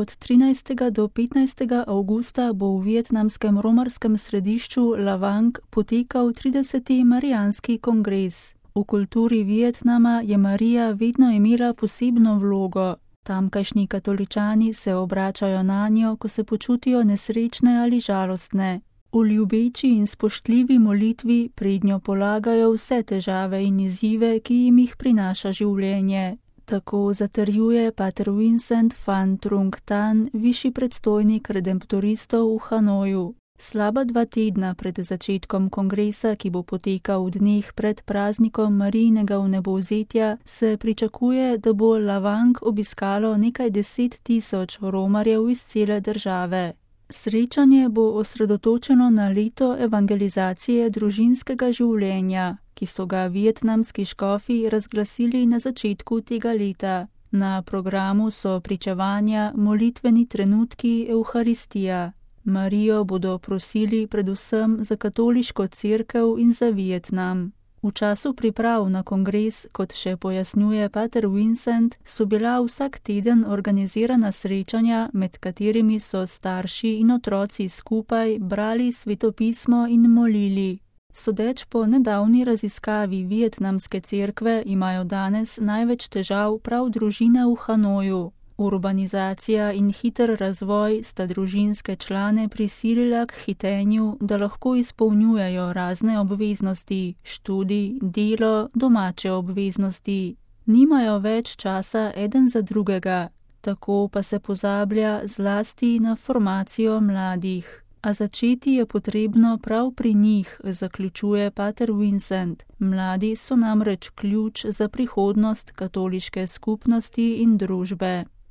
Od 13. do 15. avgusta bo v vietnamskem romarskem središču Lavang potekal 30. marijanski kongres. V kulturi Vietnama je Marija vedno imela posebno vlogo. Tamkajšnji katoličani se obračajo nanjo, ko se počutijo nesrečne ali žalostne. V ljubeči in spoštljivi molitvi prednjo polagajo vse težave in izzive, ki jim jih prinaša življenje. Tako zatrjuje pater Vincent Van Trung Tan, višji predstojnik redemptoristov v Hanoju. Slaba 2 tedna pred začetkom kongresa, ki bo potekal v dneh pred praznikom Marijinega vnebovzetja, se pričakuje, da bo Lavang obiskalo nekaj 10.000 romarjev iz cele države. Srečanje bo osredotočeno na leto evangelizacije družinskega življenja, ki so ga vietnamski škofi razglasili na začetku tega leta. Na programu so pričevanja, molitveni trenutki, evharistija. Marijo bodo prosili predvsem za katoliško cerkev in za Vietnam. V času priprav na kongres, kot še pojasnjuje pater Vincent, so bila vsak teden organizirana srečanja, med katerimi so starši in otroci skupaj brali svetopismo in molili. Sodeč po nedavni raziskavi vietnamske cerkve imajo danes največ težav prav družine v Hanoju. Urbanizacija in hiter razvoj sta družinske člane prisilila k hitenju, da lahko izpolnjujejo razne obveznosti, študij, delo, domače obveznosti. Nimajo več časa eden za drugega, tako pa se pozablja zlasti na formacijo mladih. A začeti je potrebno prav pri njih, zaključuje pater Vincent. Mladi so namreč ključ za prihodnost katoliške skupnosti in družbe.